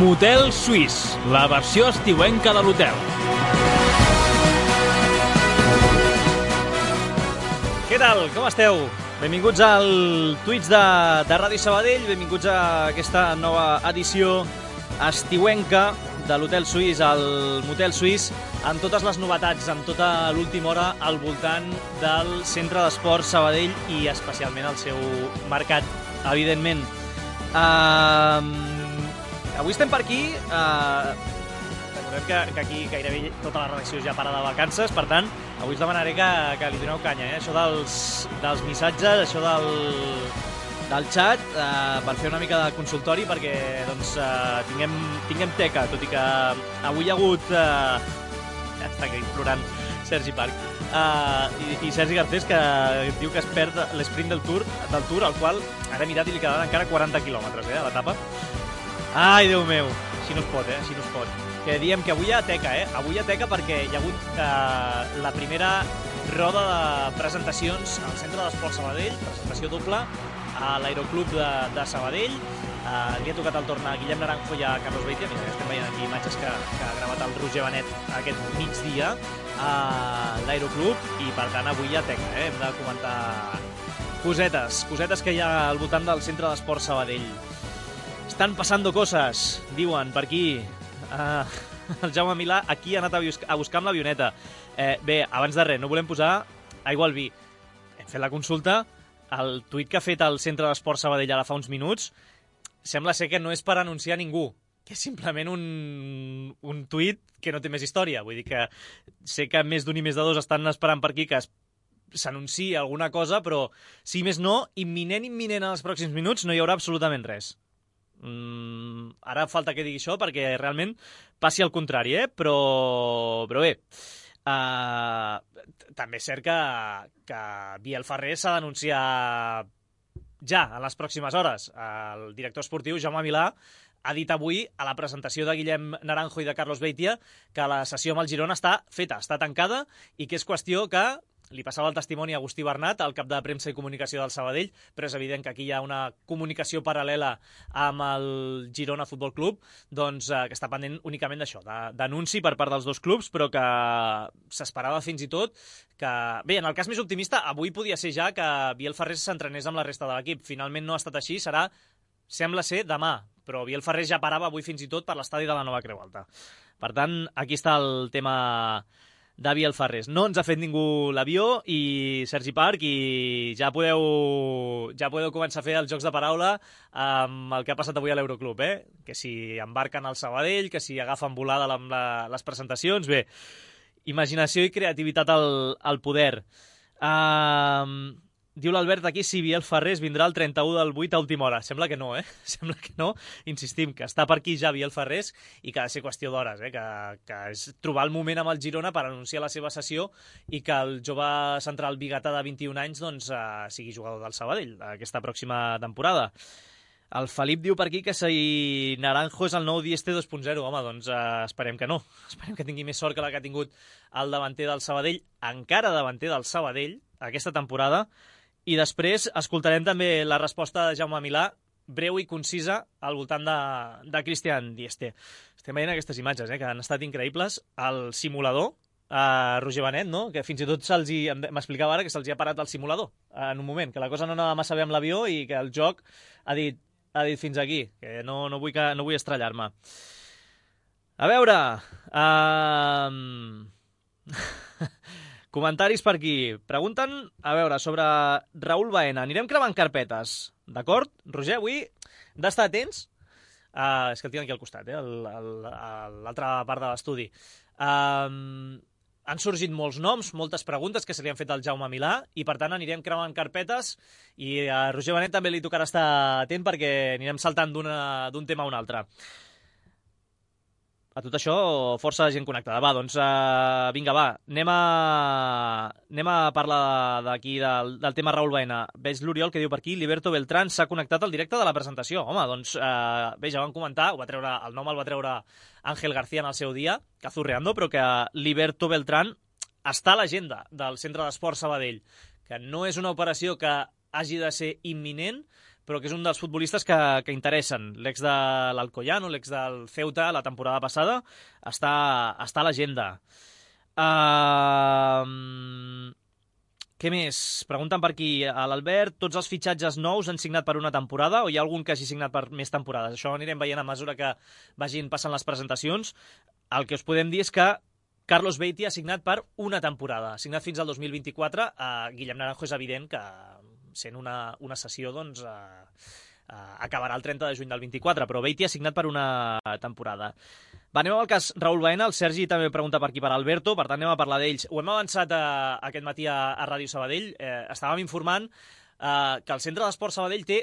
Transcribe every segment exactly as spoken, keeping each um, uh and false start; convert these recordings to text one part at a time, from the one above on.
Motel Suís, la versió estiuenca de l'hotel. Què tal? Com esteu? Benvinguts al Twitch de, de Ràdio Sabadell, benvinguts a aquesta nova edició estiuenca de l'Hotel Suís, el Motel Suís, amb totes les novetats, amb tota l'última hora al voltant del Centre d'Esports Sabadell i especialment el seu mercat, evidentment. Uh, avui estem per aquí, uh, recordem que, que aquí gairebé tota la redacció ja para de vacances, per tant, avui us demanaré que, que li doneu canya, eh? Això dels, dels missatges, això del, del xat, uh, per fer una mica de consultori, perquè doncs, uh, tinguem, tinguem teca, tot i que avui hi ha hagut... Uh, ja està aquí plorant Sergi Parc. Uh, i, i Sergi Garcés, que diu que es perd l'esprint del Tour, del Tour, al qual ara he mirat i li quedaven encara quaranta quilòmetres, eh, a l'etapa. Ai, Déu meu, així no es pot, eh, així no es pot. Que diem que avui hi ha teca, eh, avui hi ha teca perquè hi ha hagut uh, la primera roda de presentacions al Centre d'Esports Sabadell, presentació doble a l'Aeroclub de, de Sabadell. Uh, li ha tocat el torn a Guillem Naranjo i a Carlos Beitia. Mira, estem veient aquí imatges que, que ha gravat el Roger Benet aquest migdia a l'Aeroclub i per tant avui hi ha teca, eh? Hem de comentar cosetes, cosetes que hi ha al voltant del Centre d'Esports Sabadell. Estan passando coses, diuen per aquí. Uh, el Jaume Milà aquí ha anat a, buscar, a buscar amb l'avioneta. Eh, bé, abans de res, no volem posar aigua al vi. Hem fet la consulta. El tuit que ha fet el Centre d'Esports Sabadell ara fa uns minuts sembla ser que no és per anunciar ningú, que és simplement un, un tuit que no té més història. Vull dir que sé que més d'un i més de dos estan esperant per aquí que s'anunciï alguna cosa, però si més no, imminent, imminent en els pròxims minuts no hi haurà absolutament res. Mm, ara falta que digui això perquè realment passi el contrari, eh? Però, però bé, uh, també és cert que, que Biel Ferrer s'ha d'anunciar ja, en les pròximes hores. El director esportiu, Jaume Milà, ha dit avui a la presentació de Guillem Naranjo i de Carlos Beitia que la sessió amb el Girona està feta, està tancada i que és qüestió que li passava el testimoni a Agustí Bernat, el cap de premsa i comunicació del Sabadell, però és evident que aquí hi ha una comunicació paral·lela amb el Girona Futbol Club, doncs eh, que està pendent únicament d'això, d'anunci per part dels dos clubs, però que s'esperava fins i tot que... Bé, en el cas més optimista, avui podia ser ja que Biel Ferrer s'entrenés amb la resta de l'equip. Finalment no ha estat així, serà, sembla ser, demà, però Biel Ferrer ja parava avui fins i tot per l'estadi de la Nova Creu Alta. Per tant, aquí està el tema de Biel Ferrer. No ens ha fet ningú l'avió i Sergi Parc i ja podeu, ja podeu començar a fer els jocs de paraula amb el que ha passat avui a l'Euroclub, eh? Que si embarquen al Sabadell, que si agafen volada amb la, les presentacions, bé, imaginació i creativitat al, al poder. Uh, diu l'Albert aquí si Biel Ferrer vindrà el trenta-u del vuit a última hora. Sembla que no, eh? Sembla que no. Insistim, que està per aquí ja Biel Ferrer i que ha de ser qüestió d'hores, eh? Que, que és trobar el moment amb el Girona per anunciar la seva sessió i que el jove central biguetà de vint-i-un anys doncs, uh, sigui jugador del Sabadell aquesta pròxima temporada. El Felip diu per aquí que si Naranjo és el nou Dieste dos punt zero. Home, doncs uh, esperem que no. Esperem que tingui més sort que la que ha tingut el davanter del Sabadell, encara davanter del Sabadell, aquesta temporada. I després escoltarem també la resposta de Jaume Milà, breu i concisa, al voltant de, de Cristian Dieste. Estem veient aquestes imatges, eh, que han estat increïbles. El simulador, a Roger Benet, no? Que fins i tot se'ls hi... M'explicava ara que se'ls hi ha parat el simulador en un moment, que la cosa no anava massa bé amb l'avió i que el joc ha dit, ha dit fins aquí, que no, no vull, que, no vull estrellar-me. A veure... Uh... Comentaris per aquí. Pregunten, a veure, sobre Raúl Baena. Anirem cremant carpetes, d'acord? Roger, avui hem d'estar atents. Uh, és que el tinc aquí al costat, eh? L'altra part de l'estudi. Uh, han sorgit molts noms, moltes preguntes que se li han fet al Jaume Milà i, per tant, anirem cremant carpetes i a Roger Benet també li tocarà estar atent perquè anirem saltant d'un tema a un altre. A tot això, força gent connectada. Va, doncs, uh, vinga, va, anem a, anem a parlar d'aquí, del, del tema Raúl Baena. Veig l'Oriol que diu per aquí, Liberto Beltrán s'ha connectat al directe de la presentació. Home, doncs, uh, bé, ja vam comentar, ho va treure, el nom el va treure Ángel García en el seu dia, Cazurreando, però que Liberto Beltrán està a l'agenda del Centre d'Esports Sabadell, que no és una operació que hagi de ser imminent, però que és un dels futbolistes que, que interessen. L'ex de l'Alcoyano, l'ex del Ceuta, la temporada passada, està, està a l'agenda. Uh... Què més? Pregunten per aquí a l'Albert, tots els fitxatges nous han signat per una temporada o hi ha algun que hagi signat per més temporades? Això ho anirem veient a mesura que vagin passant les presentacions. El que us podem dir és que Carlos Beatty ha signat per una temporada, ha signat fins al dos mil vint-i-quatre. Uh, Guillem Naranjo és evident que, sent una, una sessió, doncs, uh, uh, acabarà el trenta de juny del vint-i-quatre, però Beatty ha signat per una temporada. Va, anem al cas Raúl Baena. El Sergi també pregunta per aquí per Alberto, per tant anem a parlar d'ells. Ho hem avançat a, a aquest matí a, a Ràdio Sabadell. Eh, estàvem informant eh, que el Centre d'Esports Sabadell té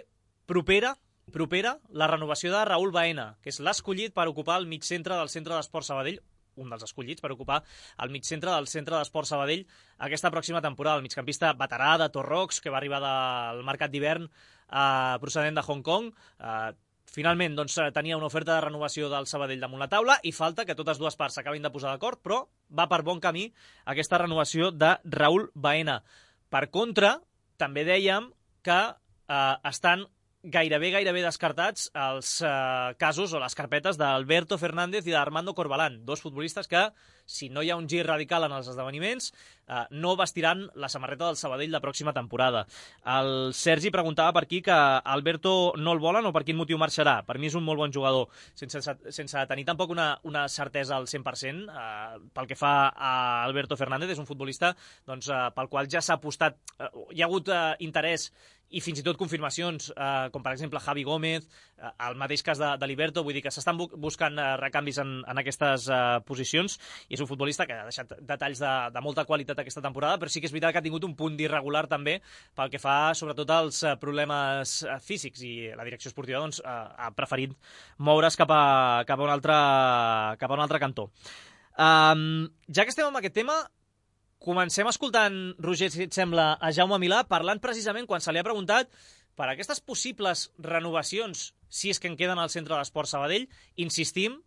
propera, propera la renovació de Raúl Baena, que és l'escollit per ocupar el mig centre del Centre d'Esports Sabadell, un dels escollits per ocupar el mig centre del Centre d'Esports Sabadell aquesta pròxima temporada. El migcampista veterà de Torrox, que va arribar del mercat d'hivern eh, procedent de Hong Kong. Eh, Finalment, doncs, tenia una oferta de renovació del Sabadell damunt la taula i falta que totes dues parts s'acabin de posar d'acord, però va per bon camí aquesta renovació de Raúl Baena. Per contra, també dèiem que eh, estan gairebé, gairebé descartats els eh, casos o les carpetes d'Alberto Fernández i d'Armando Corbalán, dos futbolistes que, si no hi ha un gir radical en els esdeveniments, eh, no vestiran la samarreta del Sabadell la pròxima temporada. El Sergi preguntava per aquí que Alberto no el volen o per quin motiu marxarà. Per mi és un molt bon jugador, sense, sense tenir tampoc una, una certesa al cent per cent. Eh, pel que fa a Alberto Fernández, és un futbolista doncs, eh, pel qual ja s'ha apostat, eh, hi ha hagut eh, interès i fins i tot confirmacions, eh, com per exemple Javi Gómez, eh, el mateix cas de, de Liberto, vull dir que s'estan bu buscant eh, recanvis en, en aquestes eh, posicions, i és un futbolista que ha deixat detalls de, de molta qualitat aquesta temporada, però sí que és veritat que ha tingut un punt d'irregular també pel que fa sobretot als eh, problemes eh, físics, i la direcció esportiva doncs, eh, ha preferit moure's cap a, cap a, un, altre, cap a un altre cantó. Um, ja que estem amb aquest tema, comencem escoltant, Roger, si et sembla, a Jaume Milà, parlant precisament quan se li ha preguntat per aquestes possibles renovacions, si és que en queden al Centre d'Esports Sabadell. Insistim,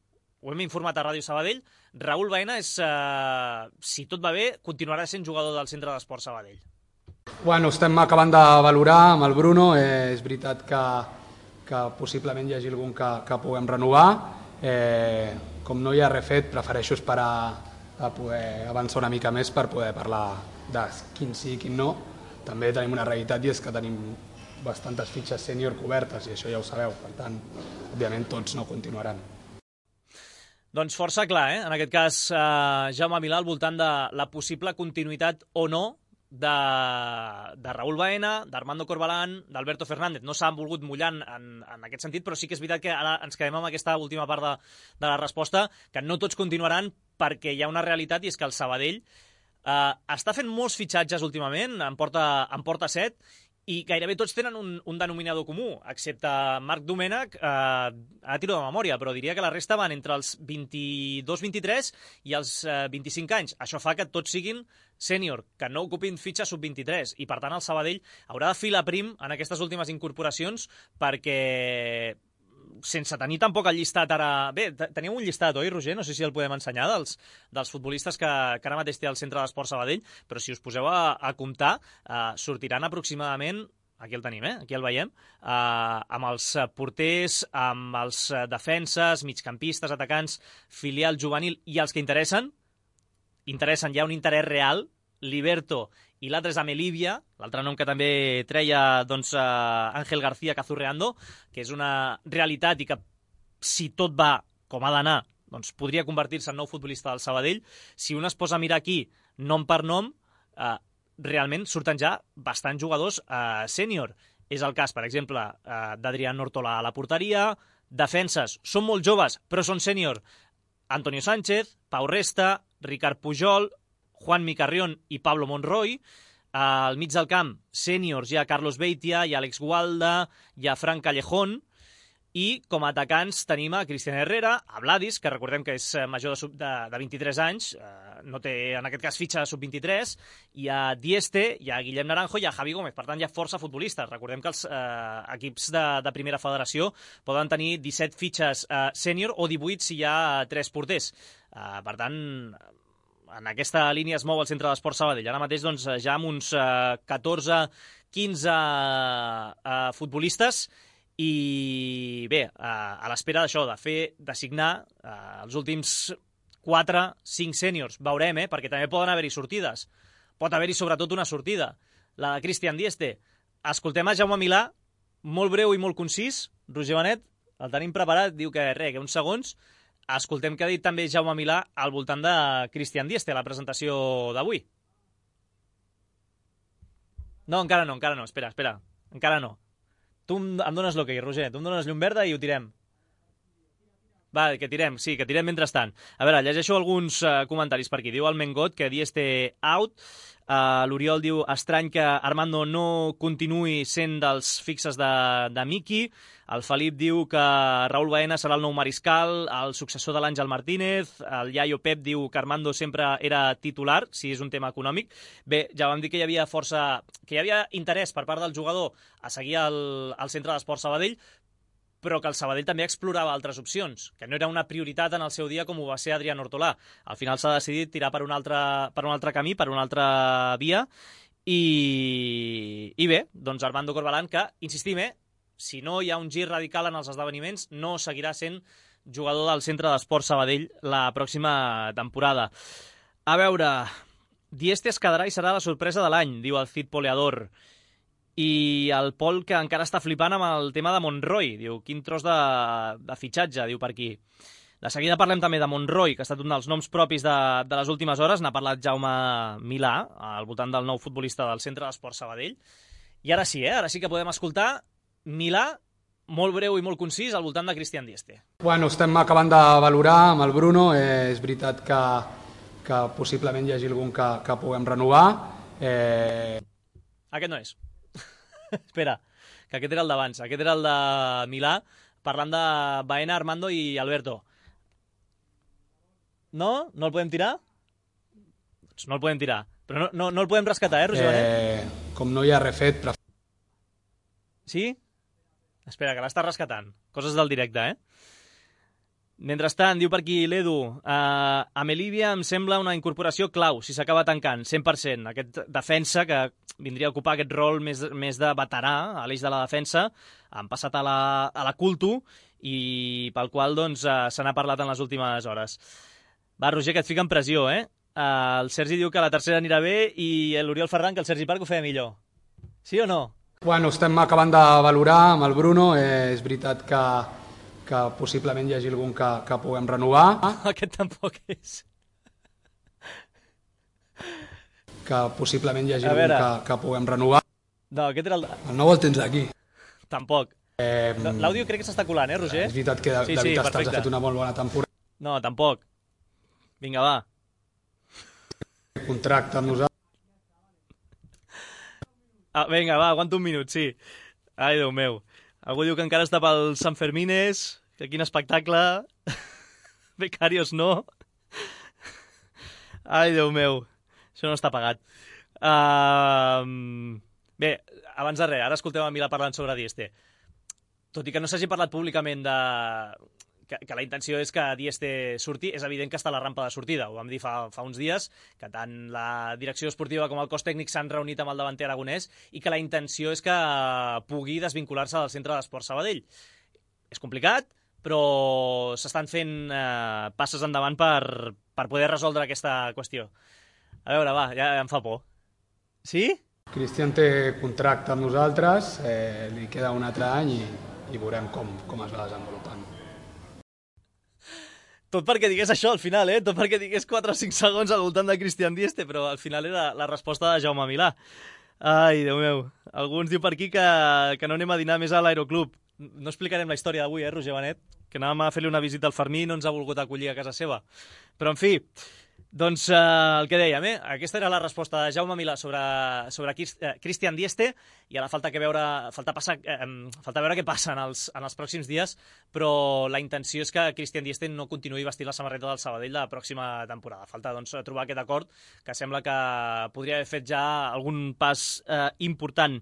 ho hem informat a Ràdio Sabadell, Raúl Baena és, eh, si tot va bé, continuarà sent jugador del Centre d'Esports Sabadell. Bueno, estem acabant de valorar amb el Bruno. Eh, és veritat que, que possiblement hi hagi algun que, que puguem renovar. Eh, com no hi ha res fet, prefereixo esperar a poder avançar una mica més per poder parlar de quin sí i quin no. També tenim una realitat i és que tenim bastantes fitxes sènior cobertes i això ja ho sabeu, per tant, òbviament tots no continuaran. Doncs força clar, eh? En aquest cas, eh, Jaume Milà al voltant de la possible continuïtat o no de, de Raúl Baena, d'Armando Corbalán, d'Alberto Fernández. No s'han volgut mullar en, en aquest sentit, però sí que és veritat que ara ens quedem amb aquesta última part de, de la resposta, que no tots continuaran perquè hi ha una realitat, i és que el Sabadell eh, està fent molts fitxatges últimament, en porta, en porta set, i gairebé tots tenen un, un denominador comú, excepte Marc Domènech, eh, ara tiro de memòria, però diria que la resta van entre els vint-i-dos vint-i-tres i els eh, vint-i-cinc anys. Això fa que tots siguin sènior, que no ocupin fitxa sub vint-i-tres, i per tant el Sabadell haurà de filar prim en aquestes últimes incorporacions perquè, sense tenir tampoc el llistat ara... Bé, teníem un llistat, oi, Roger? No sé si el podem ensenyar, dels, dels futbolistes que, que ara mateix té el Centre d'Esports Sabadell, però si us poseu a, a comptar, eh, sortiran aproximadament, aquí el tenim, eh? Aquí el veiem, eh, amb els porters, amb els defenses, migcampistes, atacants, filial, juvenil, i els que interessen, interessen, hi ha un interès real, Liberto, i l'altre és Amelivia, l'altre nom que també treia doncs, uh, Ángel García Cazurreando, que és una realitat i que, si tot va com ha d'anar, doncs podria convertir-se en nou futbolista del Sabadell. Si un es posa a mirar aquí, nom per nom, uh, realment surten ja bastants jugadors uh, sènior. És el cas, per exemple, uh, d'Adrián Nortola a la porteria, defenses, són molt joves, però són sènior. Antonio Sánchez, Pau Resta, Ricard Pujol, Juan Micarrión i Pablo Monroy. Al mig del camp, sèniors, hi ha Carlos Beitia, hi ha Alex Gualda, hi ha Fran Callejón, i com a atacants tenim a Cristian Herrera, a Vladis, que recordem que és major de, sub, de, de vint-i-tres anys, eh, no té en aquest cas fitxa de sub vint-i-tres, hi ha Dieste, hi ha Guillem Naranjo, hi ha Javi Gómez, per tant hi ha força futbolistes. Recordem que els eh, equips de, de primera federació poden tenir disset fitxes eh, sènior o divuit si hi ha tres porters. Eh, per tant, en aquesta línia es mou el Centre d'Esports Sabadell. Ara mateix doncs, ja amb uns eh, catorze quinze eh, futbolistes i bé, eh, a l'espera d'això, de fer, de signar eh, els últims quatre cinc sèniors. Veurem, eh, perquè també poden haver-hi sortides. Pot haver-hi sobretot una sortida, la de Christian Dieste. Escoltem a Jaume Milà, molt breu i molt concís. Roger Benet, el tenim preparat, diu que res, que uns segons. Escoltem què ha dit també Jaume Milà al voltant de Christian Dieste, a la presentació d'avui. No, encara no, encara no, espera, espera, encara no. Tu em dones l'ok, Roger, tu em dones llum verda i ho tirem. Va, que tirem, sí, que tirem mentrestant. A veure, llegeixo alguns uh, comentaris per aquí. Diu el Mengot que Dieste out. Uh, L'Oriol diu estrany que Armando no continuï sent dels fixes de, de Miki. El Felip diu que Raúl Baena serà el nou mariscal, el successor de l'Àngel Martínez. El Iaio Pep diu que Armando sempre era titular, si és un tema econòmic. Bé, ja vam dir que hi havia força, que hi havia interès per part del jugador a seguir el, el Centre d'Esports Sabadell, però que el Sabadell també explorava altres opcions, que no era una prioritat en el seu dia com ho va ser Adrián Hortolà. Al final s'ha decidit tirar per un altre, per un altre camí, per una altra via, i, i bé, doncs Armando Corbalán, que, insistim, eh, si no hi ha un gir radical en els esdeveniments, no seguirà sent jugador del Centre d'Esports Sabadell la pròxima temporada. A veure, Dieste es quedarà i serà la sorpresa de l'any, diu el Cid Poleador. I el Pol, que encara està flipant amb el tema de Monroy. Diu, quin tros de, de fitxatge, diu per aquí. De seguida parlem també de Monroy, que ha estat un dels noms propis de, de les últimes hores. N'ha parlat Jaume Milà, al voltant del nou futbolista del Centre d'Esports Sabadell. I ara sí, eh? Ara sí que podem escoltar Milà, molt breu i molt concís, al voltant de Christian Dieste. Bueno, estem acabant de valorar amb el Bruno. Eh, és veritat que, que possiblement hi hagi algun que, que puguem renovar. Eh... Aquest no és. Espera, que aquest era el d'abans. Aquest era el de Milà, parlant de Baena, Armando i Alberto. No? No el podem tirar? Doncs no el podem tirar. Però no, no, no el podem rescatar, eh, Roger Benet? Eh, com no hi ha refet... Però... Sí? Espera, que l'està rescatant. Coses del directe, eh? Mentrestant, diu per aquí l'Edu, uh, a Melívia em sembla una incorporació clau, si s'acaba tancant, cent per cent. Aquest defensa que vindria a ocupar aquest rol més, més de veterà a l'eix de la defensa, han passat a la, a la Culto i pel qual doncs, uh, se n'ha parlat en les últimes hores. Va, Roger, que et fica en pressió, eh? Uh, el Sergi diu que la tercera anirà bé i l'Oriol Ferran que el Sergi Parc ho feia millor. Sí o no? Bueno, estem acabant de valorar amb el Bruno. Eh, és veritat que que possiblement hi hagi algun que, que puguem renovar. Aquest tampoc és. Que possiblement hi hagi algun que, que puguem renovar. No, aquest era el... El nou el tens aquí. Tampoc. Eh, L'àudio crec que s'està colant, eh, Roger? És veritat que sí, David sí, Estals ha fet una molt bona temporada. No, tampoc. Vinga, va. Contracte amb nosaltres. Ah, vinga, va, aguanta un minut, sí. Ai, Déu meu. Algú diu que encara està pel Sant Fermines, que quin espectacle. Becarios no. Ai, Déu meu. Això no està pagat. Uh... Bé, abans de res, ara escolteu a Milà parlant sobre Dieste. Tot i que no s'hagi parlat públicament de... Que, que la intenció és que Dieste surti, és evident que està a la rampa de sortida. Ho vam dir fa, fa uns dies, que tant la direcció esportiva com el cos tècnic s'han reunit amb el davanter aragonès i que la intenció és que pugui desvincular-se del Centre d'Esports Sabadell. És complicat, però s'estan fent eh, passes endavant per, per poder resoldre aquesta qüestió. A veure, va, ja em fa por. Sí? Cristian té contracte amb nosaltres, eh, li queda un altre any i, i veurem com, com es va desenvolupant. Tot perquè digués això al final, eh? Tot perquè digués quatre o cinc segons al voltant de Christian Dieste, però al final era la resposta de Jaume Milà. Ai, Déu meu. Algú ens diu per aquí que, que no anem a dinar més a l'Aeroclub. No explicarem la història d'avui, eh, Roger Benet? Que anàvem a fer-li una visita al Fermí i no ens ha volgut acollir a casa seva. Però, en fi, doncs eh, el que dèiem, eh? Aquesta era la resposta de Jaume Milà sobre, sobre Christian Dieste i ara falta, que veure, falta, passar, eh, falta veure què passa en els, en els pròxims dies, però la intenció és que Christian Dieste no continuï vestint la samarreta del Sabadell la pròxima temporada. Falta doncs, trobar aquest acord que sembla que podria haver fet ja algun pas eh, important.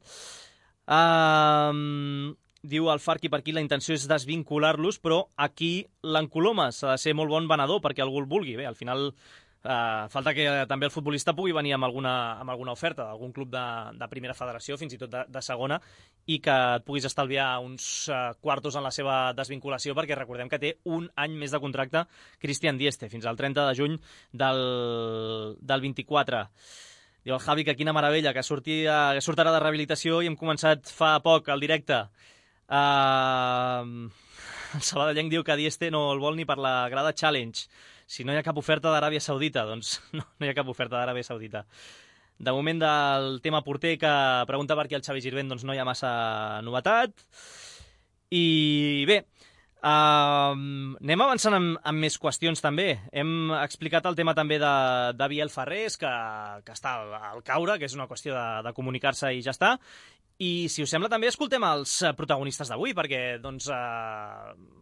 Um, diu el Farqui per aquí, la intenció és desvincular-los, però aquí l'Encolomes s'ha de ser molt bon venedor perquè algú el vulgui. Bé, al final Uh, falta que uh, també el futbolista pugui venir amb alguna, amb alguna oferta d'algun club de, de primera federació, fins i tot de, de segona, i que et puguis estalviar uns uh, quartos en la seva desvinculació, perquè recordem que té un any més de contracte Christian Dieste, fins al trenta de juny del, del vint-i-quatre. Diu el Javi que quina meravella, que, sortia, que sortirà de rehabilitació i hem començat fa poc el directe. Uh, el sabadellenc diu que Dieste no el vol ni per la grada Challenge. Si no hi ha cap oferta d'Aràbia Saudita, doncs no, no hi ha cap oferta d'Aràbia Saudita. De moment del tema porter que pregunta per aquí el Xavi Girvent, doncs no hi ha massa novetat. I bé, uh, anem avançant amb, amb més qüestions també. Hem explicat el tema també de, de Biel Ferrés, que, que està al, al caure, que és una qüestió de, de comunicar-se i ja està. I si us sembla també escoltem els protagonistes d'avui, perquè doncs... Uh,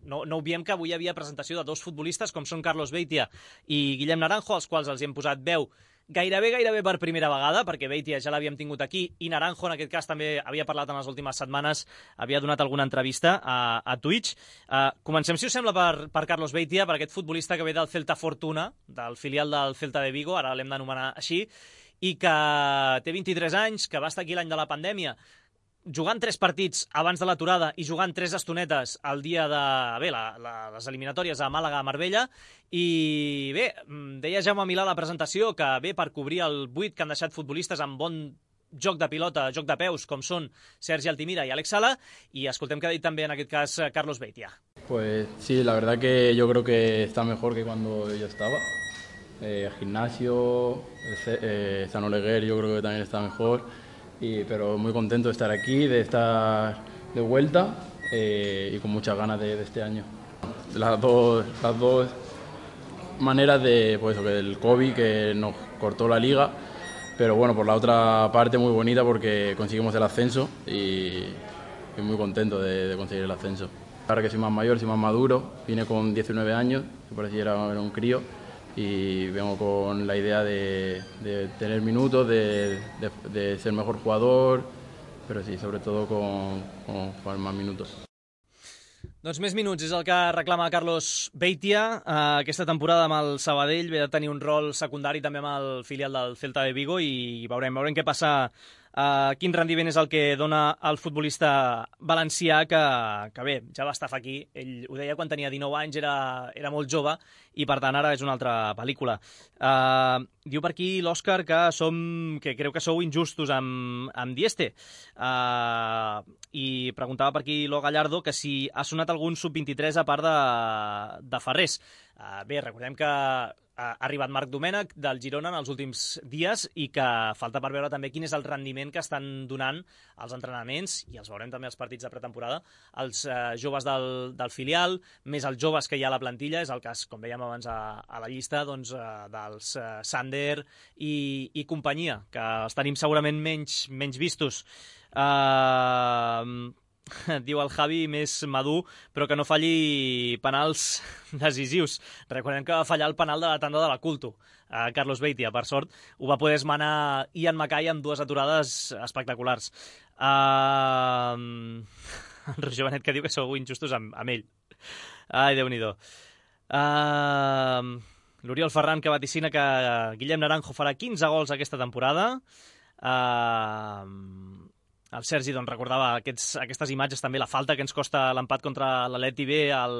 No, no obviem que avui hi havia presentació de dos futbolistes com són Carlos Beitia i Guillem Naranjo, als quals els hem posat veu gairebé, gairebé per primera vegada, perquè Beitia ja l'havíem tingut aquí i Naranjo en aquest cas també havia parlat en les últimes setmanes, havia donat alguna entrevista a, a Twitch. Uh, comencem, si us sembla, per, per Carlos Beitia, per aquest futbolista que ve del Celta Fortuna, del filial del Celta de Vigo, ara l'hem d'anomenar així, i que té vint-i-tres anys, que va estar aquí l'any de la pandèmia, jugant tres partits abans de l'aturada i jugant tres estonetes el dia de bé, la, la, les eliminatòries a Màlaga, a Marbella, i bé, deia Jaume Milà a la presentació que ve per cobrir el buit que han deixat futbolistes amb bon joc de pilota, joc de peus, com són Sergi Altimira i Alex Sala, y escoltem que ha dit també en aquest cas Carlos Beitia. Pues sí, la verdad que yo creo que está mejor que cuando yo estaba. Eh, gimnasio, eh, San Oleguer yo creo que también está mejor. Y, pero muy contento de estar aquí, de estar de vuelta eh, y con muchas ganas de, de este año. Las dos, las dos maneras de, pues, del COVID que nos cortó la liga, pero bueno, por la otra parte muy bonita porque conseguimos el ascenso y, y muy contento de, de conseguir el ascenso. Ahora que soy más mayor, soy más maduro, vine con diecinueve años, que parecía era, era un crío, y vengo con la idea de, de tener minutos, de, de, de ser mejor jugador, pero sí, sobre todo con, con jugar más minutos. Doncs més minuts és el que reclama Carlos Beitia. Uh, aquesta temporada amb el Sabadell ve de tenir un rol secundari també amb el filial del Celta de Vigo i veurem, veurem què passa. Uh, quin rendiment és el que dona el futbolista valencià que, que bé, ja va estar aquí. Ell ho deia quan tenia dinou anys, era, era molt jove i per tant ara és una altra pel·lícula. Uh, diu per aquí l'Òscar que, som, que creu que sou injustos amb, amb Dieste uh, i preguntava per aquí l'O Gallardo que si ha sonat algun sub vint-i-tres a part de, de Ferrés. Uh, bé, recordem que ha arribat Marc Domènech del Girona en els últims dies i que falta per veure també quin és el rendiment que estan donant els entrenaments, i els veurem també als partits de pretemporada, els eh, joves del, del filial, més els joves que hi ha a la plantilla, és el cas, com veiem abans a, a la llista, doncs, eh, dels eh, Sander i, i companyia, que els tenim segurament menys, menys vistos. Uh, diu el Javi, més madur, però que no falli penals decisius. Recordem que va fallar el penal de la tanda de la Culto. Uh, Carlos Beitia, per sort, ho va poder esmenar Ian Mackay amb dues aturades espectaculars. Uh, el Roger Benet que diu que sou injustos amb, amb ell. Ai, Déu-n'hi-do. Uh, L'Oriol Ferran que vaticina que Guillem Naranjo farà quinze gols aquesta temporada. Uh, El Sergi doncs, recordava aquests, aquestes imatges també, la falta que ens costa l'empat contra l'Atleti B al,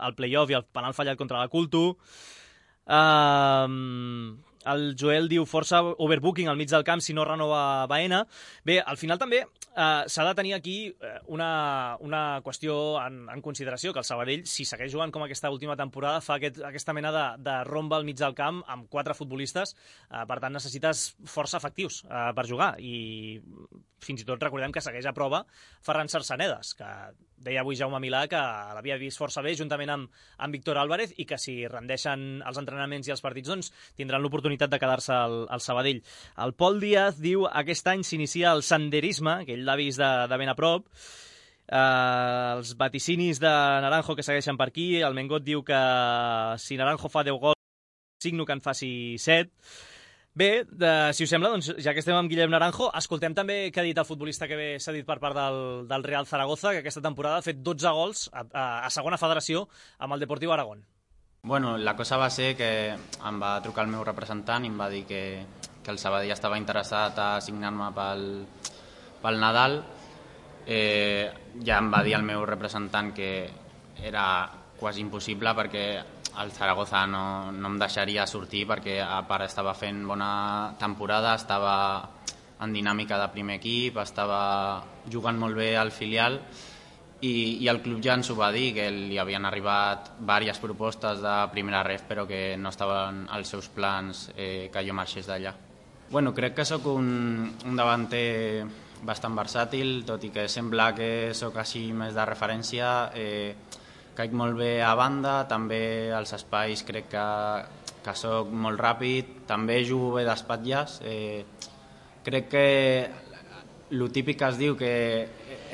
al play-off i el penal fallat contra la Culto. Uh, el Joel diu força overbooking al mig del camp si no renova Baena. Bé, al final també uh, s'ha de tenir aquí una, una qüestió en, en consideració, que el Sabadell, si segueix jugant com aquesta última temporada, fa aquest, aquesta mena de, de romba al mig del camp amb quatre futbolistes, uh, per tant necessites força efectius uh, per jugar, i fins i tot recordem que segueix a prova Ferran Sarsanedas, que deia avui Jaume Milà que l'havia vist força bé juntament amb, amb Víctor Álvarez i que si rendeixen els entrenaments i els partits doncs tindran l'oportunitat de quedar-se al, al Sabadell. El Pol Díaz diu aquest any s'inicia el senderisme, que ell l'ha vist de, de ben a prop. Uh, els vaticinis de Naranjo que segueixen per aquí. El Mengot diu que si Naranjo fa deu gols, signo que en faci set. Bé, de, si us sembla, doncs, ja que estem amb Guillem Naranjo, escoltem també què ha dit el futbolista que ve cedit per part del, del Real Zaragoza, que aquesta temporada ha fet dotze gols a, a, a segona federació amb el Deportiu Aragón. Bueno, la cosa va ser que em va trucar el meu representant i em va dir que, que el Sabadell estava interessat a signar-me pel, pel Nadal. Eh, ja em va dir el meu representant que era quasi impossible perquè el Zaragoza no, no em deixaria sortir, perquè a part estava fent bona temporada, estava en dinàmica de primer equip, estava jugant molt bé al filial i, i el club ja ens ho va dir, que li havien arribat diverses propostes de primera ref però que no estaven als seus plans eh, que jo marxés d'allà. Bueno, crec que sóc un, un davanter bastant versàtil, tot i que sembla que sóc així més de referència. Eh, caic molt bé a banda, també als espais crec que, que sóc molt ràpid, també jugo bé d'espatlles. Eh, crec que el típic que es diu que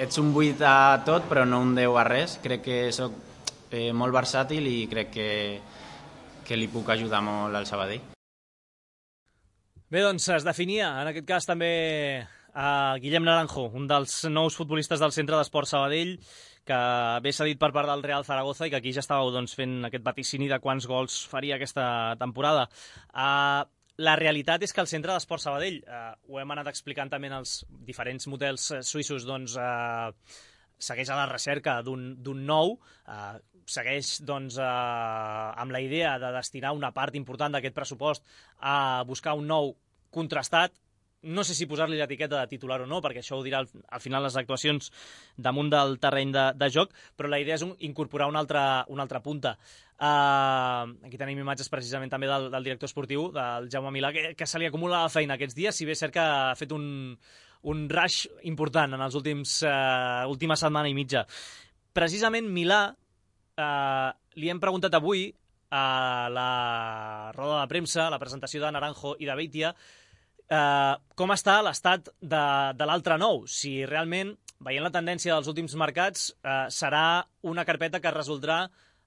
ets un vuit a tot però no un deu a res. Crec que sóc eh, molt versàtil i crec que, que li puc ajudar molt al Sabadell. Bé, doncs es definia en aquest cas també a Guillem Naranjo, un dels nous futbolistes del Centre d'Esport Sabadell, que ve cedit per part del Real Zaragoza i que aquí ja estàveu doncs, fent aquest vaticini de quants gols faria aquesta temporada. Uh, la realitat és que el Centre d'Esport Sabadell, uh, ho hem anat explicant també en els diferents models suïssos, doncs, uh, segueix a la recerca d'un nou, uh, segueix doncs, uh, amb la idea de destinar una part important d'aquest pressupost a buscar un nou contrastat. No sé si posar-li l'etiqueta de titular o no, perquè això ho dirà al, al final les actuacions damunt del terreny de, de joc, però la idea és un, incorporar una altra, una altra punta. Uh, aquí tenim imatges precisament també del, del director esportiu, del Jaume Milà, que, que se li acumula la feina aquests dies, si bé és cert que ha fet un, un rush important en els últims uh, última setmana i mitja. Precisament Milà, uh, li hem preguntat avui a la roda de premsa, a la presentació de Naranjo i de Beitia, Uh, com està l'estat de, de l'altre nou, si realment, veient la tendència dels últims mercats, uh, serà una carpeta que es resoldrà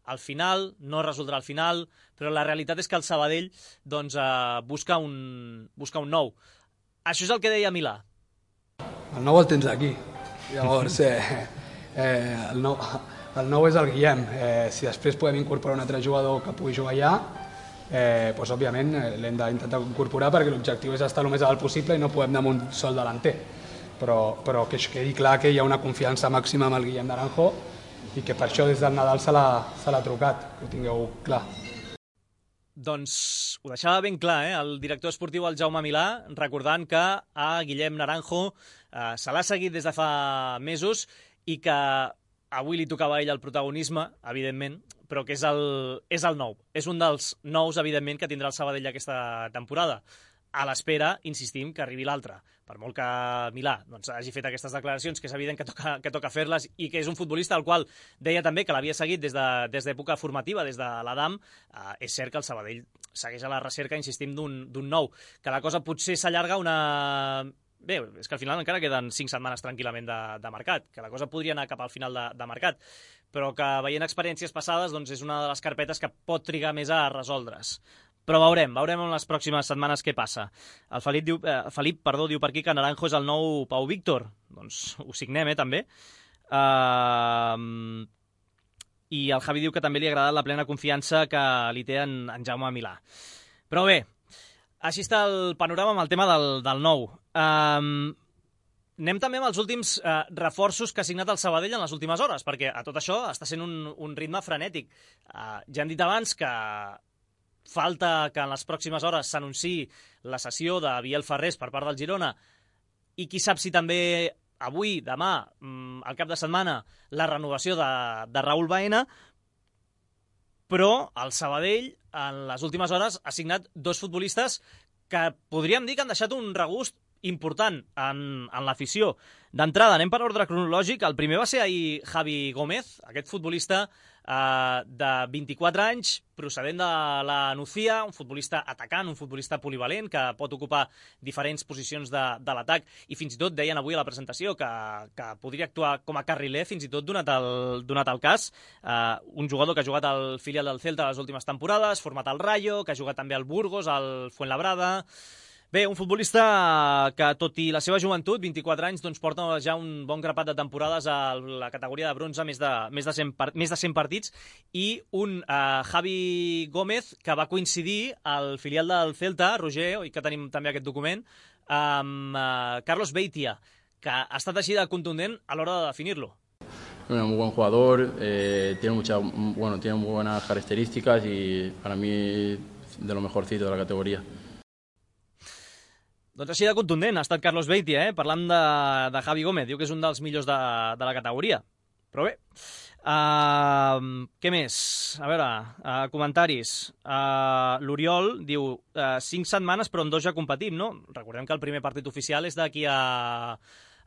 al final, no es resoldrà al final, però la realitat és que el Sabadell doncs, uh, busca, un, busca un nou. Això és el que deia Milà. El nou el tens aquí. Llavors, eh, eh, el, nou, el nou és el Guillem. Eh, si després podem incorporar un altre jugador que pugui jugar allà, Eh, pues, òbviament l'hem d'intentar incorporar perquè l'objectiu és estar el més alt possible i no podem anar amb un sol delanter, però, però que quedi clar que hi ha una confiança màxima amb el Guillem Naranjo i que per això des del Nadal se l'ha trucat, que ho tingueu clar. Doncs ho deixava ben clar, eh? El director esportiu, el Jaume Milà, recordant que a Guillem Naranjo eh, se l'ha seguit des de fa mesos i que avui li tocava a ell el protagonisme, evidentment, però que és el, és el nou. És un dels nous, evidentment, que tindrà el Sabadell aquesta temporada. A l'espera, insistim, que arribi l'altre. Per molt que Milà doncs, hagi fet aquestes declaracions, que és evident que toca, que toca fer-les, i que és un futbolista al qual deia també que l'havia seguit des d'època de, formativa, des de l'Adam, eh, és cert que el Sabadell segueix a la recerca, insistim, d'un nou. Que la cosa potser s'allarga una... Bé, és que al final encara queden cinc setmanes tranquil·lament de, de mercat, que la cosa podria anar cap al final de, de mercat, però que veient experiències passades doncs és una de les carpetes que pot trigar més a resoldre's. Però veurem, veurem en les pròximes setmanes què passa. El Felip, diu, eh, Felip perdó, diu per aquí que Naranjo és el nou Pau Víctor. Doncs ho signem, eh, també. Uh, I el Javi diu que també li ha agradat la plena confiança que li té en, en Jaume Milà. Però bé, així està el panorama amb el tema del, del nou. Um, anem també amb els últims uh, reforços que ha signat el Sabadell en les últimes hores, perquè a tot això està sent un, un ritme frenètic. Uh, ja hem dit abans que falta que en les pròximes hores s'anunciï la cessió de Biel Ferrés per part del Girona i qui sap si també avui, demà, um, al cap de setmana, la renovació de, de Raúl Baena, però el Sabadell en les últimes hores ha signat dos futbolistes que podríem dir que han deixat un regust important en, en l'afició. D'entrada, anem per ordre cronològic. El primer va ser ahir Javi Gómez, aquest futbolista eh, de vint-i-quatre anys, procedent de la Nucía, un futbolista atacant, un futbolista polivalent, que pot ocupar diferents posicions de, de l'atac, i fins i tot deien avui a la presentació que, que podria actuar com a carriler, fins i tot donat el, donat el cas. Eh, un jugador que ha jugat al filial del Celta les últimes temporades, format al Rayo, que ha jugat també al Burgos, al Fuenlabrada. Bé, un futbolista que, tot i la seva joventut, vint-i-quatre anys, doncs porta ja un bon grapat de temporades a la categoria de bronze, més de, més de, cent, més de cent partits, i un uh, Javi Gómez que va coincidir al filial del Celta, Roger, i que tenim també aquest document, amb uh, Carlos Beitia, que ha estat així de contundent a l'hora de definir-lo. Bueno, muy buen jugador, eh, tiene, mucha, bueno, tiene muy buenas características y para mí de lo mejorcito de la categoría. Doncs així de contundent ha estat Carlos Beitia, eh? Parlant de, de Javi Gómez, diu que és un dels millors de, de la categoria. Però bé, uh, què més? A veure, uh, comentaris. Uh, L'Oriol diu, uh, cinc setmanes però en dos ja competim, no? Recordem que el primer partit oficial és d'aquí a...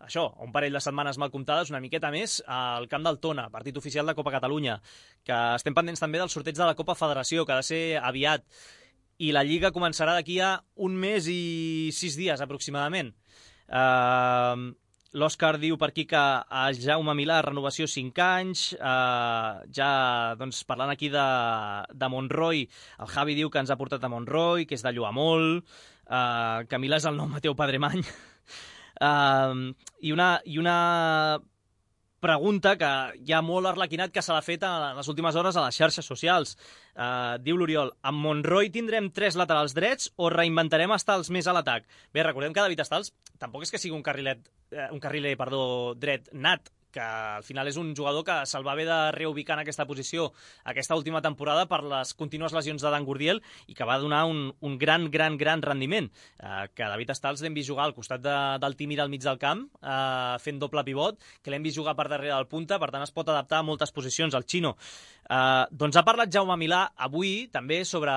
això, un parell de setmanes mal comptades, una miqueta més, al camp del Tona, partit oficial de Copa Catalunya, que estem pendents també del sorteig de la Copa Federació, que ha de ser aviat, i la Lliga començarà d'aquí a un mes i sis dies, aproximadament. Uh, L'Òscar diu per aquí que a Jaume Milà, renovació cinc anys, uh, ja doncs, parlant aquí de, de Monroy, el Javi diu que ens ha portat a Monroy, que és de Lluamol, uh, que Milà és el nou Mateu Padremany. Uh, i, una, I una pregunta que hi ha molt arlequinat que se l'ha fet en les últimes hores a les xarxes socials. Uh, diu l'Oriol, amb Monroy tindrem tres laterals drets o reinventarem estals més a l'atac? Bé, recordem que David Estals tampoc és que sigui un carrilet, eh, un carriler, perdó, dret nat, que al final és un jugador que se'l va haver de reubicar en aquesta posició aquesta última temporada per les contínues lesions de Dan Gurdiel i que va donar un, un gran, gran, gran rendiment. Eh, que David Estals l'hem vist jugar al costat de, del Timir al mig del camp, eh, fent doble pivot, que l'hem vist jugar per darrere del punta, per tant es pot adaptar a moltes posicions, el Xino. Eh, doncs ha parlat Jaume Milà avui també sobre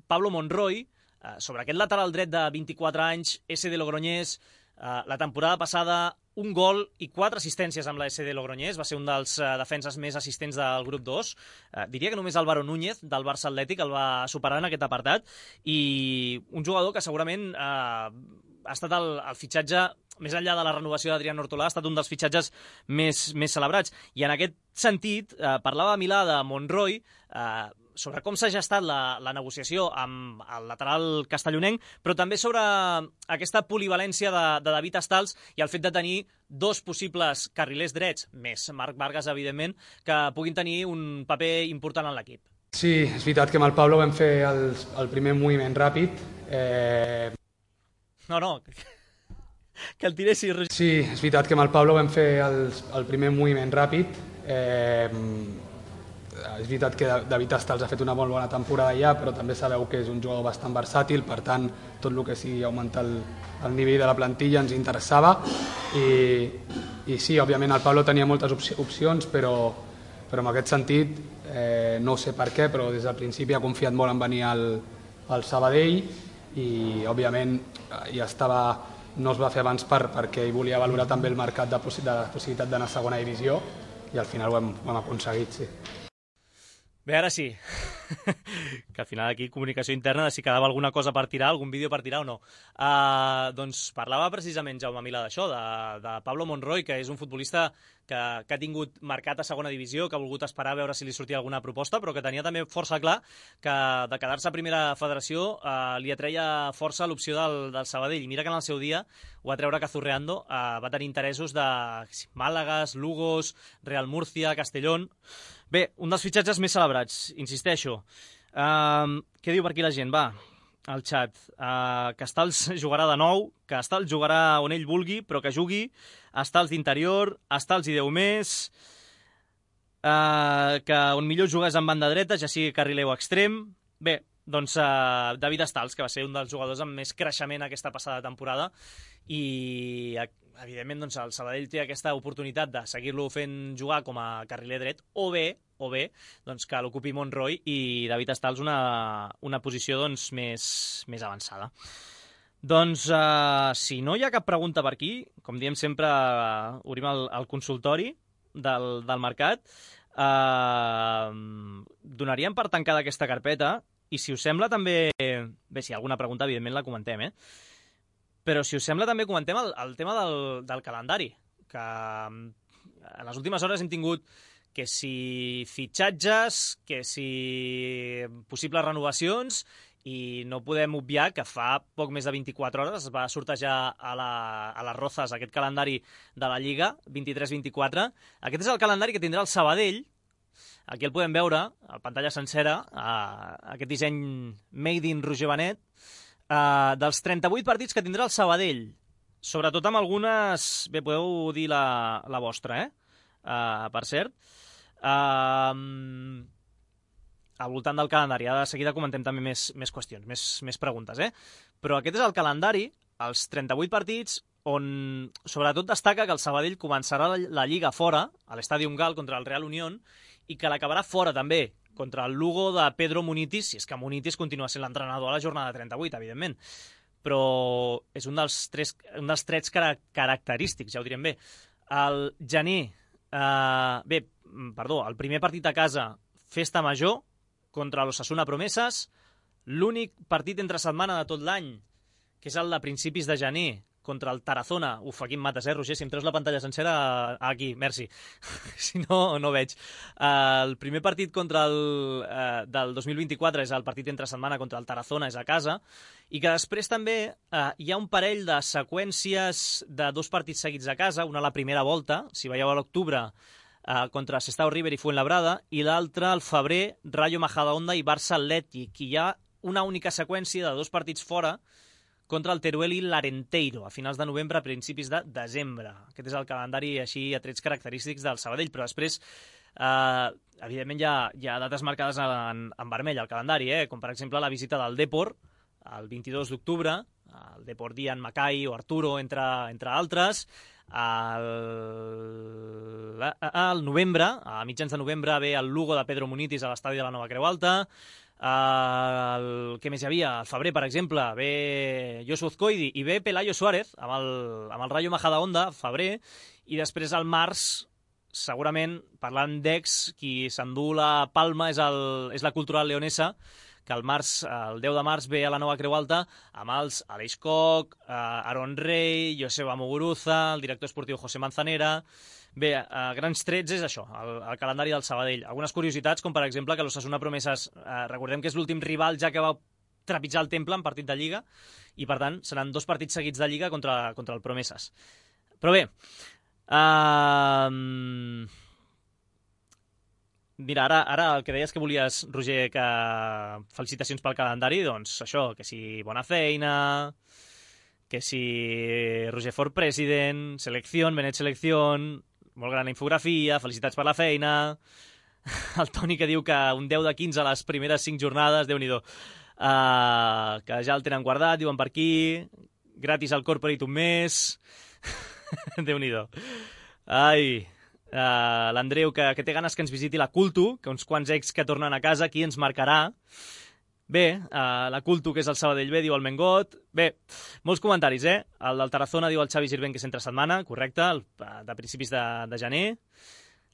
Pablo Monroy, eh, sobre aquest lateral dret de vint-i-quatre anys, S D Logroñés. Eh, la temporada passada un gol i quatre assistències amb la S D Logroñés, va ser un dels uh, defenses més assistents del grup dos. Uh, diria que només Álvaro Núñez, del Barça Atlètic, el va superar en aquest apartat, i un jugador que segurament uh, ha estat el, el fitxatge, més enllà de la renovació d'Adrián Hortolà, ha estat un dels fitxatges més, més celebrats. I en aquest sentit, uh, parlava Milà de Monroy, uh, sobre com s'ha gestat la, la negociació amb el lateral castellonenc, però també sobre aquesta polivalència de, de David Estals i el fet de tenir dos possibles carrilers drets, més Marc Vargas, evidentment, que puguin tenir un paper important en l'equip. Sí, és veritat que amb el Pablo vam fer el, el primer moviment ràpid. Eh... No, no, que el tiressi. Sí, és veritat que amb el Pablo vam fer el, el primer moviment ràpid. Eh... És veritat que David Estals ha fet una molt bona temporada ja, però també sabeu que és un jugador bastant versàtil, per tant, tot el que sigui augmentar el, el nivell de la plantilla ens interessava. I, i sí, òbviament el Pablo tenia moltes opcions, però, però en aquest sentit, eh, no sé per què, però des del principi ha confiat molt en venir al, al Sabadell i, òbviament, ja estava, no es va fer abans per, perquè ell volia valorar també el mercat de, possi de la possibilitat d'anar a segona divisió i al final ho hem, ho hem aconseguit, sí. Bé, ara sí, que al final aquí comunicació interna de si quedava alguna cosa per tirar, algun vídeo per tirar o no. Uh, doncs parlava precisament Jaume Milà d'això, de, de Pablo Monroy, que és un futbolista que, que ha tingut marcat a segona divisió, que ha volgut esperar a veure si li sortia alguna proposta, però que tenia també força clar que de quedar-se a primera federació uh, li atreia força l'opció del, del Sabadell. I mira que en el seu dia ho va treure Cazurreando, uh, va tenir interessos de Màlagas, Lugos, Real Murcia, Castellón. Bé, un dels fitxatges més celebrats, insisteixo. Uh, què diu per aquí la gent? Va, al xat. Uh, que Estals jugarà de nou, que Estals jugarà on ell vulgui, però que jugui. Estals d'interior, Estals i Déu més. Uh, que on millor jugués en banda dreta, ja sigui carriler o extrem. Bé, doncs uh, David Estals, que va ser un dels jugadors amb més creixement aquesta passada temporada. I evidentment doncs, el Sabadell té aquesta oportunitat de seguir-lo fent jugar com a carriler dret, o bé, o bé doncs, que l'ocupi Monroy i David Estals una, una posició doncs, més, més avançada. Doncs, uh, si no hi ha cap pregunta per aquí, com diem sempre, uh, obrim el, el consultori del, del mercat, uh, donaríem per tancada aquesta carpeta, i si us sembla també, bé, si hi ha alguna pregunta, evidentment la comentem, eh? Però si us sembla també comentem el, el tema del, del calendari, que en les últimes hores hem tingut que si fitxatges, que si possibles renovacions, i no podem obviar que fa poc més de vint-i-quatre hores es va sortejar a, la, a les Rozas aquest calendari de la Lliga, vint-i-tres vint-i-quatre. Aquest és el calendari que tindrà el Sabadell. Aquí el podem veure, a pantalla sencera, uh, aquest disseny Made in Roger Benet, uh, dels trenta-vuit partits que tindrà el Sabadell, sobretot amb algunes... Bé, podeu dir la, la vostra, eh? Uh, per cert. Uh, al voltant del calendari. Ara de seguida comentem també més, més qüestions, més, més preguntes, eh? Però aquest és el calendari, els trenta-vuit partits, on sobretot destaca que el Sabadell començarà la, la Lliga fora, a l'Estadi Gal contra el Real Unión, i que l'acabarà fora també, contra el Lugo de Pedro Munitis, si és que Munitis continua sent l'entrenador a la jornada trenta-vuit, evidentment. Però és un dels, tres, un dels trets cara característics, ja ho direm bé. El gener, eh, bé, perdó, el primer partit a casa, Festa Major, contra l'Osasuna Promeses, l'únic partit entre setmana de tot l'any, que és el de principis de gener, contra el Tarazona. Uf, aquí em mates, eh, Roger? Si em treus la pantalla sencera, aquí, merci. Si no, no veig. Uh, el primer partit contra el, uh, del dos mil vint-i-quatre és el partit entre setmana contra el Tarazona, és a casa, i que després també uh, hi ha un parell de seqüències de dos partits seguits a casa, una a la primera volta, si veieu a l'octubre, Uh, contra Sestao River i Fuenlabrada, i l'altre, al febrer, Rayo Majadahonda i Barça Atlètic. I hi ha una única seqüència de dos partits fora contra el Teruel i l'Arenteiro, a finals de novembre, a principis de desembre. Aquest és el calendari així a trets característics del Sabadell, però després, uh, evidentment, hi ha, hi ha dates marcades en, en vermell al calendari, eh? Com per exemple la visita del Depor, el vint-i-dos d'octubre, el Depor Dian Macai o Arturo, entre, entre altres. Al al novembre, a mitjans de novembre, ve el Lugo de Pedro Munitis a l'estadi de la Nova Creu Alta. El, què més hi havia? Al febrer, per exemple, ve Josu Ozcoidi i ve Pelayo Suárez amb el, amb el Rayo Majadahonda, al febrer, i després al març, segurament, parlant d'ex, qui s'endú la palma és, el, és la Cultural Leonesa, que el març, el deu de març ve a la Nova Creu Alta amb els Aleix Koch, Aaron Rey, Joseba Muguruza, el director esportiu José Manzanera. Bé, a grans trets és això, el, el calendari del Sabadell. Algunes curiositats, com per exemple que l'Osasuna Promeses, eh, recordem que és l'últim rival ja que va trepitjar el Temple en partit de Lliga, i per tant seran dos partits seguits de Lliga contra, contra el Promeses. Però bé, eh... Mira, ara, ara el que deies que volies, Roger, que felicitacions pel calendari, doncs això, que si bona feina, que si Roger for President, selecció, Benet selecció, molt gran infografia, felicitats per la feina, el Toni que diu que un deu de quinze a les primeres cinc jornades, Déu-n'hi-do, uh, que ja el tenen guardat, diuen per aquí, gratis al corporate un mes, Déu-n'hi-do. Ai... Uh, l'Andreu, que, que té ganes que ens visiti la Cultu, que uns quants ex que tornen a casa, qui ens marcarà. Bé, uh, la Cultu, que és el Sabadell B, diu el Mengot. Bé, molts comentaris, eh? El del Tarazona diu el Xavi Girvent, que és entre setmana, correcte, el, de principis de, de gener.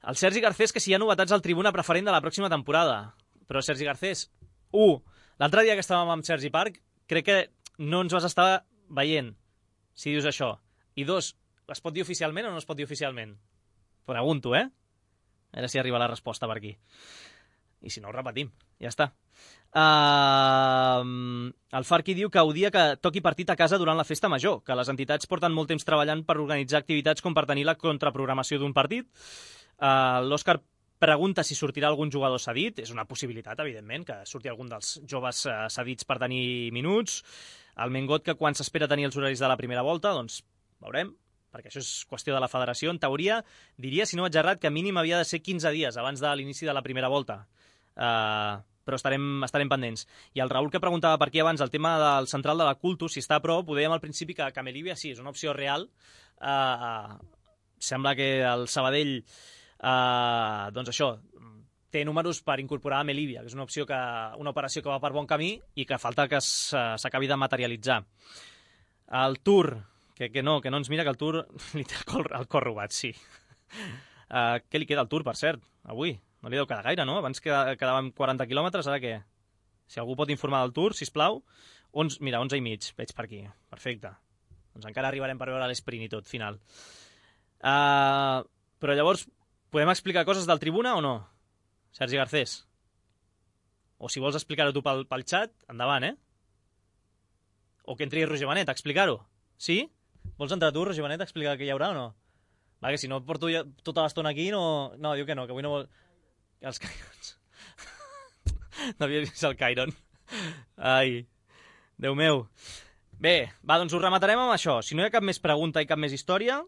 El Sergi Garcés, que si hi ha novetats al tribuna preferent de la pròxima temporada. Però, Sergi Garcés, un, l'altre dia que estàvem amb Sergi Parc, crec que no ens vas estar veient, si dius això. I dos, es pot dir oficialment o no es pot dir oficialment? Pregunto, eh? A veure si arriba la resposta per aquí. I si no, ho repetim. Ja està. Uh, el Farqui diu que odia que toqui partit a casa durant la festa major, que les entitats porten molt temps treballant per organitzar activitats com per tenir la contraprogramació d'un partit. Uh, L'Òscar pregunta si sortirà algun jugador cedit. És una possibilitat, evidentment, que surti algun dels joves uh, cedits per tenir minuts. El Mengot, que quan s'espera tenir els horaris de la primera volta, doncs veurem, perquè això és qüestió de la federació. En teoria, diria, si no vaig errat, que mínim havia de ser quinze dies abans de l'inici de la primera volta. Uh, però estarem, estarem pendents. I el Raül, que preguntava per aquí abans el tema del central de la Cultu, si està a prop, ho dèiem al principi que, que Melívia sí, és una opció real. Uh, sembla que el Sabadell, uh, doncs això, té números per incorporar a Melívia, que és una opció que, una operació que va per bon camí i que falta que s'acabi de materialitzar. El Tour... Que, que no, que no ens mira, que el Tour li té el cor, el cor robat, sí. Uh, què li queda al Tour, per cert, avui? No li deu quedar gaire, no? Abans quedàvem quaranta quilòmetres, ara què? Si algú pot informar del Tour, sisplau. onze, mira, onze i mig, veig per aquí. Perfecte. Doncs encara arribarem per veure l'esprint i tot, final. Uh, però llavors, podem explicar coses del Tribuna o no? Sergi Garcés? O si vols explicar-ho tu pel, pel xat, endavant, eh? O que entri Roger Benet a explicar-ho. Sí? Vols entrar tu, Roger Benet, a explicar què hi haurà o no? Va, que si no et porto ja tota l'estona aquí, no... No, diu que no, que avui no vol... Els Cairons. No havia vist el Cairon. Ai, Déu meu. Bé, va, doncs ho rematarem amb això. Si no hi ha cap més pregunta i cap més història,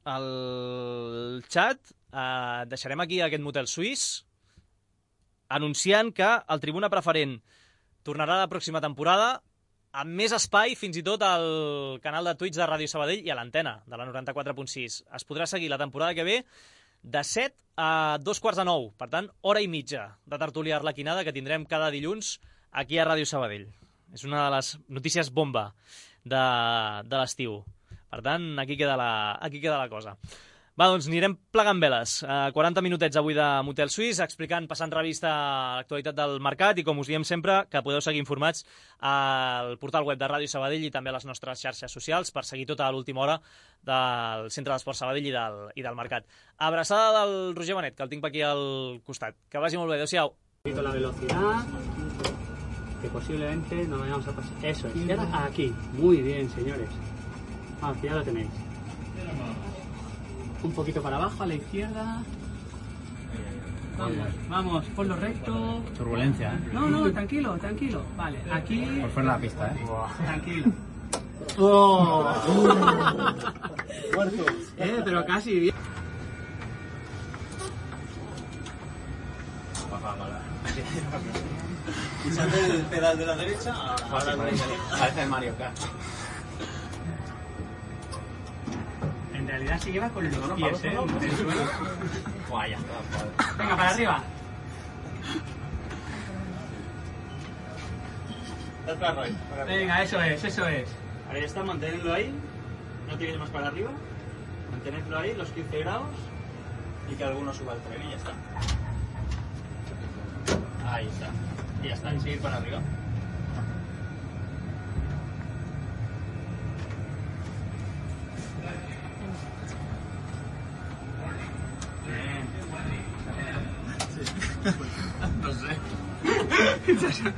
al xat eh, deixarem aquí aquest motel suís anunciant que el Tribuna Preferent tornarà la pròxima temporada amb més espai, fins i tot al canal de Twitch de Ràdio Sabadell i a l'antena de la noranta-quatre punt sis. Es podrà seguir la temporada que ve de set a dos quarts de nou. Per tant, hora i mitja de tertúlia arlequinada que tindrem cada dilluns aquí a Ràdio Sabadell. És una de les notícies bomba de, de l'estiu. Per tant, aquí queda la, aquí queda la cosa. Va, doncs anirem plegant veles. Uh, quaranta minutets avui de Motel Suís, explicant, passant revista a l'actualitat del mercat i, com us diem sempre, que podeu seguir informats al portal web de Ràdio Sabadell i també a les nostres xarxes socials per seguir tota l'última hora del Centre d'Esport Sabadell i del, i del mercat. Abraçada del Roger Benet, que el tinc per aquí al costat. Que vagi molt bé. Adéu-siau. La velocidad, que posiblemente no vayamos a pasar. Eso es. Y ahora aquí. Muy bien, señores. Vamos, que ya lo tenéis. Un poquito para abajo, a la izquierda. Vamos, vamos, ponlo recto. Turbulencia, ¿eh? No, no, tranquilo, tranquilo. Vale, aquí. Por fuera de la pista, ¿eh? Tranquilo. ¡Oh! eh, pero casi bien. Usando el pedal de la derecha, ahora parece Mario Kart. En realidad se lleva con los pies, ¿eh? En el suelo. Buah, ya está. Venga, para arriba. Venga, eso es, eso es. Ahora ya está, mantenedlo ahí. No tiréis más para arriba. Mantenedlo ahí, los quince grados. Y que alguno suba al tren y ya está. Ahí está. Y ya está, y seguir para arriba. No sé.